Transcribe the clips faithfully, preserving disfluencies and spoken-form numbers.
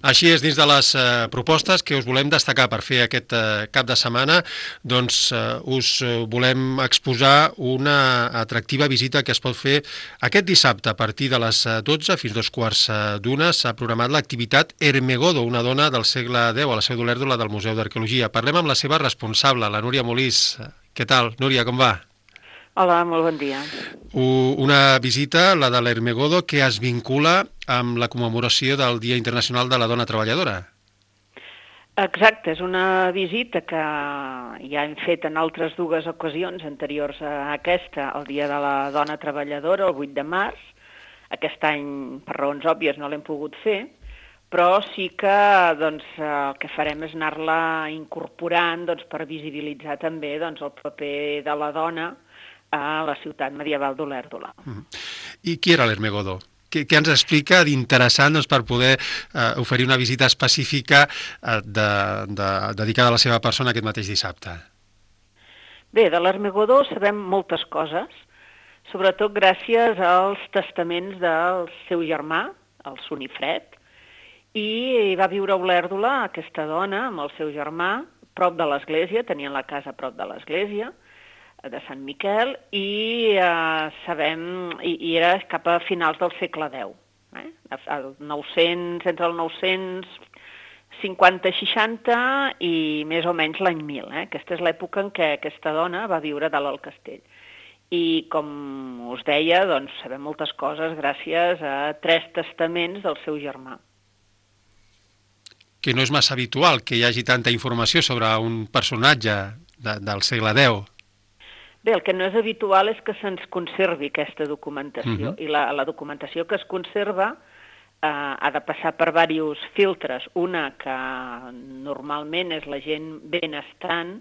Així és, dins de les eh, propostes que us volem destacar per fer aquest eh, cap de setmana, doncs eh, us eh, volem exposar una atractiva visita que es pot fer aquest dissabte a partir de les eh, dotze fins dos quarts eh, d'una. S'ha programat l'activitat Ermegodo, una dona del segle deu a la Seu d'Olèrdola del Museu d'Arqueologia. Parlem amb la seva responsable, la Núria Molís. Què tal, Núria, com va? Hola, molt bon dia. Una visita, la de l'Ermegodo, que es vincula amb la commemoració del Dia Internacional de la Dona Treballadora. Exacte, és una visita que ja hem fet en altres dues ocasions anteriors a aquesta, el Dia de la Dona Treballadora, el vuit de març. Aquest any, per raons òbvies, no l'hem pogut fer, però sí que doncs, el que farem és anar-la incorporant doncs, per visibilitzar també doncs, el paper de la dona a la ciutat medieval d'Olèrdola. Mm. I qui era l'Ermegodo? Què, què ens explica d'interessant doncs, per poder eh, oferir una visita específica eh, de, de, dedicada a la seva persona aquest mateix dissabte? Bé, de l'Ermegodo sabem moltes coses, sobretot gràcies als testaments del seu germà, el Sunifred, i va viure a Olèrdola aquesta dona amb el seu germà, prop de l'església, tenien la casa prop de l'església, de Sant Miquel, i eh, sabem, i, i era cap a finals del segle deu. Eh? El nou-cents, entre el nou-cents cinquanta seixanta i més o menys l'any mil. Eh? Aquesta és l'època en què aquesta dona va viure dalt al castell. I com us deia, doncs, sabem moltes coses gràcies a tres testaments del seu germà. Que no és massa habitual que hi hagi tanta informació sobre un personatge de, del segle deu. Bé, el que no és habitual és que se'ns conservi aquesta documentació, uh-huh. i la, la documentació que es conserva eh, ha de passar per diversos filtres. Una que normalment és la gent benestant,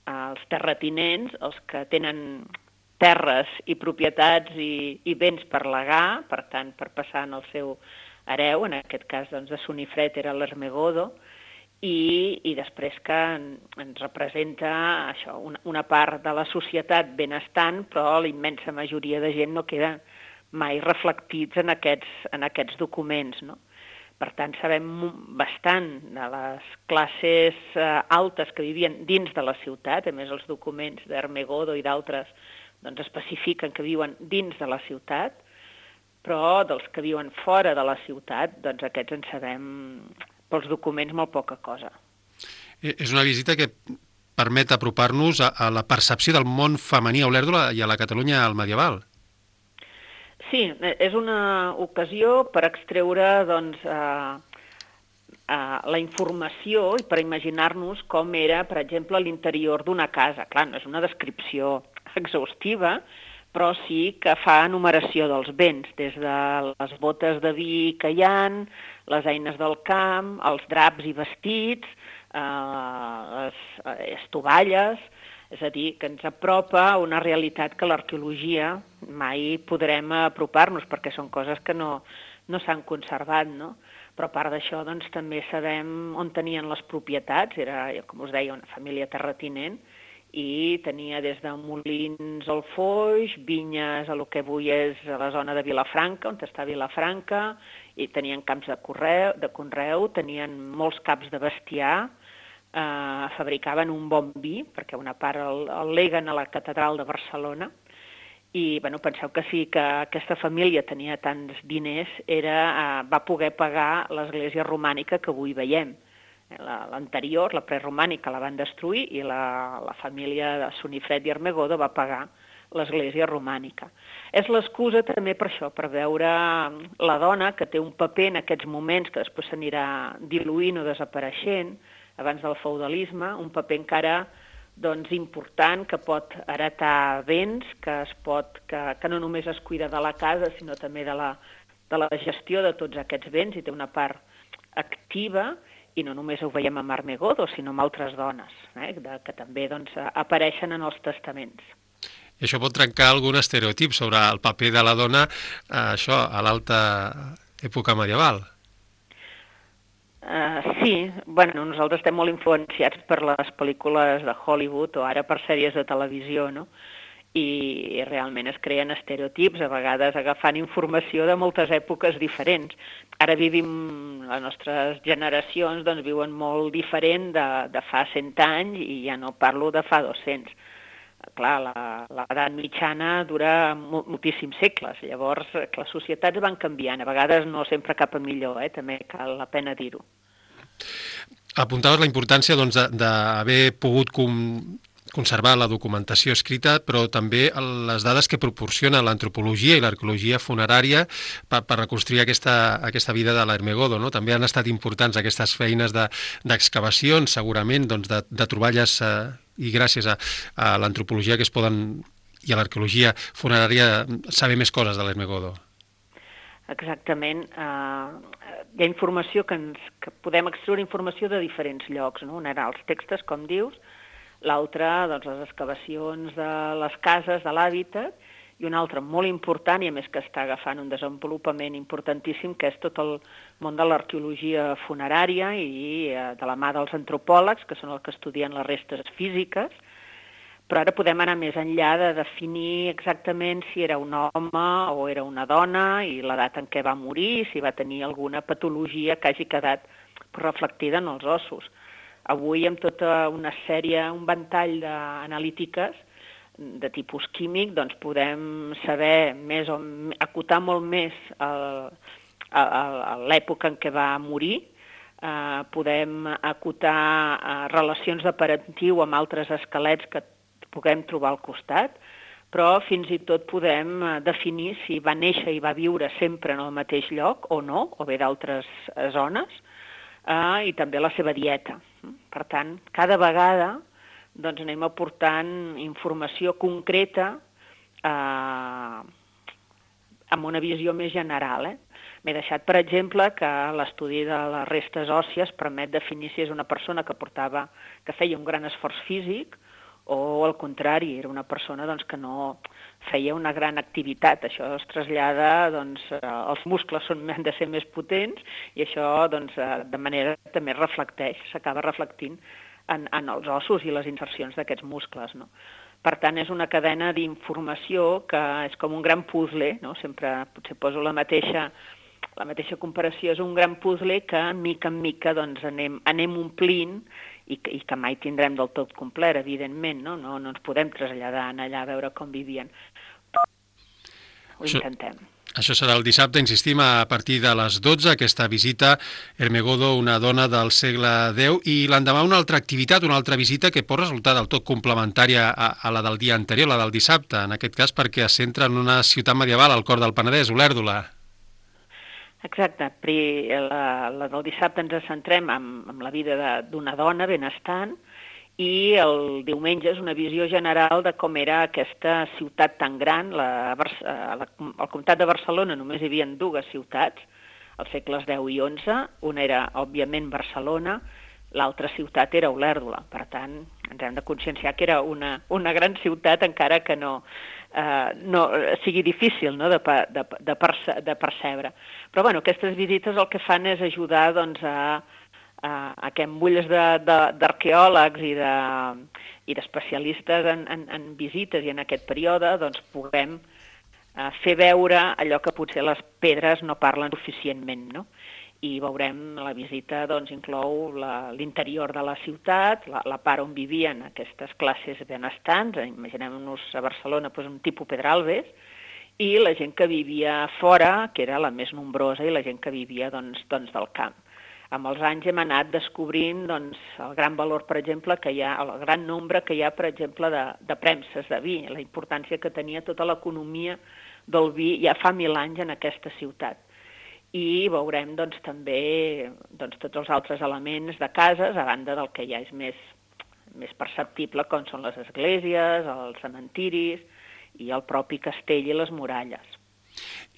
eh, els terratinents, els que tenen terres i propietats i, i béns per legar, per tant, per passar en el seu hereu, en aquest cas doncs, de Sunifred era l'Ermegodo, I, i després que ens representa això, una, una part de la societat benestant, però la immensa majoria de gent no queda mai reflectits en aquests, en aquests documents, no? Per tant, sabem bastant de les classes eh, altes que vivien dins de la ciutat, a més els documents d'Ermegodo i d'altres doncs, especifiquen que viuen dins de la ciutat, però dels que viuen fora de la ciutat, doncs aquests en sabem pels documents molt poca cosa. És una visita que permet apropar-nos a, a la percepció del món femení a Olèrdola i a la Catalunya al medieval. Sí, és una ocasió per extreure doncs, eh, eh, la informació i per imaginar-nos com era, per exemple, l'interior d'una casa. Clar, no és una descripció exhaustiva, però sí que fa enumeració dels béns, des de les botes de vi que hi ha, les eines del camp, els draps i vestits, eh, les estovalles, és a dir, que ens apropa a una realitat que l'arqueologia mai podrem apropar-nos, perquè són coses que no, no s'han conservat, no? Però a part d'això, doncs, també sabem on tenien les propietats, era, com us deia, una família terratinent, i tenia des de molins al Foix, vinyes a lo que avui és a la zona de Vilafranca, on està Vilafranca, i tenien camps de, correu, de conreu, tenien molts caps de bestiar, eh, fabricaven un bon vi, perquè una part el, el leguen a la catedral de Barcelona, i bueno, penseu que sí que aquesta família tenia tants diners, era, eh, va poder pagar l'església romànica que avui veiem. L'anterior, la preromànica, la van destruir i la, la família de Sunifred i Ermegodo va pagar l'església romànica. És l'excusa també per això, per veure la dona que té un paper en aquests moments que després s'anirà diluint o desapareixent, abans del feudalisme, un paper encara doncs, important, que pot heretar béns, que, es pot, que, que no només es cuida de la casa, sinó també de la, de la gestió de tots aquests béns i té una part activa. I no només ho veiem amb Ermegodo, sinó amb altres dones, eh, de, que també doncs, apareixen en els testaments. I això pot trencar algun estereotip sobre el paper de la dona eh, això, a l'alta època medieval. Uh, sí, bueno, nosaltres estem molt influenciats per les pel·lícules de Hollywood o ara per sèries de televisió, no? i realment es creen estereotips, a vegades agafant informació de moltes èpoques diferents. Ara vivim, les nostres generacions doncs, viuen molt diferent de, de fa cent anys i ja no parlo de fa dos-cents. Clar, l'edat mitjana dura moltíssims segles, llavors les societats van canviant, a vegades no sempre cap a millor, eh? També cal la pena dir-ho. Apuntaves la importància doncs, d'haver pogut com... conservar la documentació escrita, però també les dades que proporciona l'antropologia i l'arqueologia funerària per, per reconstruir aquesta, aquesta vida de l'Ermegodo, no? També han estat importants aquestes feines d'excavacions, de, segurament, doncs, de, de troballes eh, i gràcies a, a l'antropologia que es poden, i a l'arqueologia funerària, saber més coses de l'Ermegodo. Exactament. Uh, hi ha informació que, ens, que podem extreure informació de diferents llocs, no? Un era els textos, com dius, l'altre, doncs, les excavacions de les cases, de l'hàbitat, i un altre molt important, i a més que està agafant un desenvolupament importantíssim, que és tot el món de l'arqueologia funerària i eh, de la mà dels antropòlegs, que són els que estudien les restes físiques, però ara podem anar més enllà de definir exactament si era un home o era una dona i l'edat en què va morir, si va tenir alguna patologia que hagi quedat reflectida en els ossos. Avui, amb tota una sèrie, un ventall d'analítiques de tipus químic, doncs podem saber més o acotar molt més l'època en què va morir, eh, podem acotar eh, relacions de parentiu amb altres esquelets que puguem trobar al costat, però fins i tot podem definir si va néixer i va viure sempre en el mateix lloc o no, o bé d'altres zones, Uh, i també la seva dieta. Per tant, cada vegada doncs, anem aportant informació concreta uh, amb una visió més general. Eh? M'he deixat, per exemple, que l'estudi de les restes òssies permet definir si és una persona que portava, que feia un gran esforç físic o, al contrari, era una persona doncs, que no feia una gran activitat. Això es trasllada, doncs, els muscles són, han de ser més potents i això doncs, de manera també reflecteix, s'acaba reflectint en, en els ossos i les insercions d'aquests muscles. No? Per tant, és una cadena d'informació que és com un gran puzzle, no? Sempre potser poso la mateixa, la mateixa comparació, és un gran puzzle que mica en mica doncs, anem, anem omplint i que, i que mai tindrem del tot complet, evidentment, no? No, no ens podem traslladar allà a veure com vivien. Ho això, intentem. Això serà el dissabte, insistim, a partir de les dotze, aquesta visita Ermegodo, una dona del segle deu, i l'endemà una altra activitat, una altra visita que pot resultar del tot complementària a, a la del dia anterior, la del dissabte, en aquest cas perquè es centra en una ciutat medieval al cor del Penedès, Olèrdola. Exacte. La, la del dissabte ens centrem en, en la vida d'una dona benestant i el diumenge és una visió general de com era aquesta ciutat tan gran. La, la, al comtat de Barcelona només hi havia dues ciutats, als segles deu i onze. Una era, òbviament, Barcelona, l'altra ciutat era Olèrdola. Per tant, ens hem de conscienciar que era una, una gran ciutat, encara que no... Uh, no sigui difícil, no? de, de, de, perce de percebre. Però bueno, aquestes visites el que fan és ajudar doncs, a, a, a que amb ulls d'arqueòlegs i d'especialistes de, i en, en, en visites i en aquest període doncs, puguem uh, fer veure allò que potser les pedres no parlen suficientment, no? I veurem, la visita doncs, inclou l'interior de la ciutat, la, la part on vivien aquestes classes benestants, imaginem-nos a Barcelona doncs, un tipus Pedralbes, i la gent que vivia fora, que era la més nombrosa, i la gent que vivia doncs, doncs, del camp. Amb els anys hem anat descobrint doncs, el gran valor, per exemple, que hi ha, el gran nombre que hi ha, per exemple, de, de premses de vi, la importància que tenia tota l'economia del vi ja fa mil anys en aquesta ciutat. I veurem doncs, també doncs, tots els altres elements de cases, a banda del que ja és més, més perceptible, com són les esglésies, els cementiris i el propi castell i les muralles.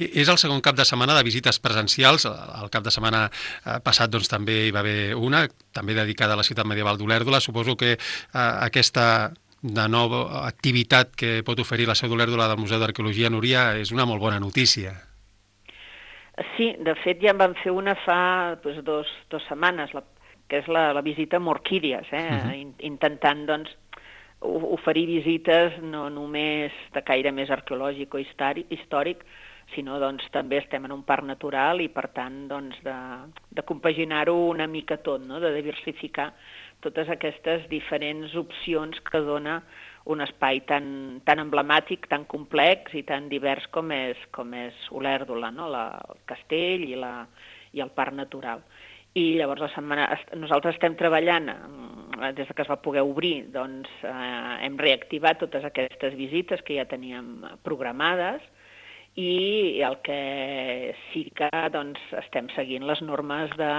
És el segon cap de setmana de visites presencials. El cap de setmana passat doncs, també hi va haver una, també dedicada a la ciutat medieval d'Olèrdola. Suposo que eh, aquesta de nova activitat que pot oferir la seu d'Olèrdola del Museu d'Arqueologia Núria és una molt bona notícia. Sí, de fet ja en vam fer una fa doncs, dos, dos setmanes, la, que és la, la visita a Morquídies, eh? uh-huh. intentant doncs, oferir visites no només de caire més arqueològic o històric, sinó doncs, també estem en un parc natural i, per tant, doncs, de, de compaginar-ho una mica tot, no? De diversificar totes aquestes diferents opcions que dona un espai tan, tan emblemàtic, tan complex i tan divers com és, com és Olèrdola, no? La, el castell i, la, i el parc natural. I llavors la setmana, nosaltres estem treballant, des que es va poder obrir, doncs eh, hem reactivat totes aquestes visites que ja teníem programades i el que sí que doncs, estem seguint les normes de,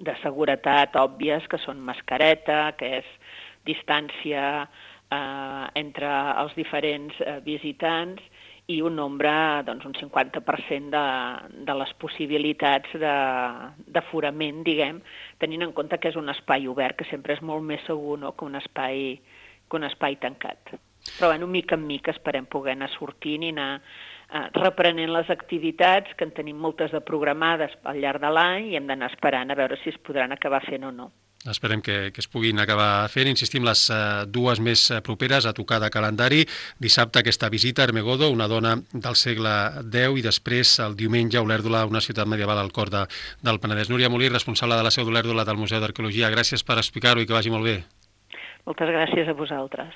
de seguretat òbvies, que són mascareta, que és distància eh, entre els diferents eh, visitants i un nombre, doncs, un cinquanta per cent de, de les possibilitats d'aforament, diguem, tenint en compte que és un espai obert, que sempre és molt més segur, no?, que un espai, que un espai tancat. Però, bueno, mica en mica esperem poder anar sortint i anar eh, reprenent les activitats, que en tenim moltes de programades al llarg de l'any i hem d'anar esperant a veure si es podran acabar fent o no. Esperem que, que es puguin acabar fent. Insistim, les uh, dues més properes a tocar de calendari. Dissabte aquesta visita a Ermegodo, una dona del segle deu, i després el diumenge Olèrdola, una ciutat medieval al cor de, del Penedès. Núria Molí, responsable de la seu d'Olèrdola del Museu d'Arqueologia, gràcies per explicar-ho i que vagi molt bé. Moltes gràcies a vosaltres.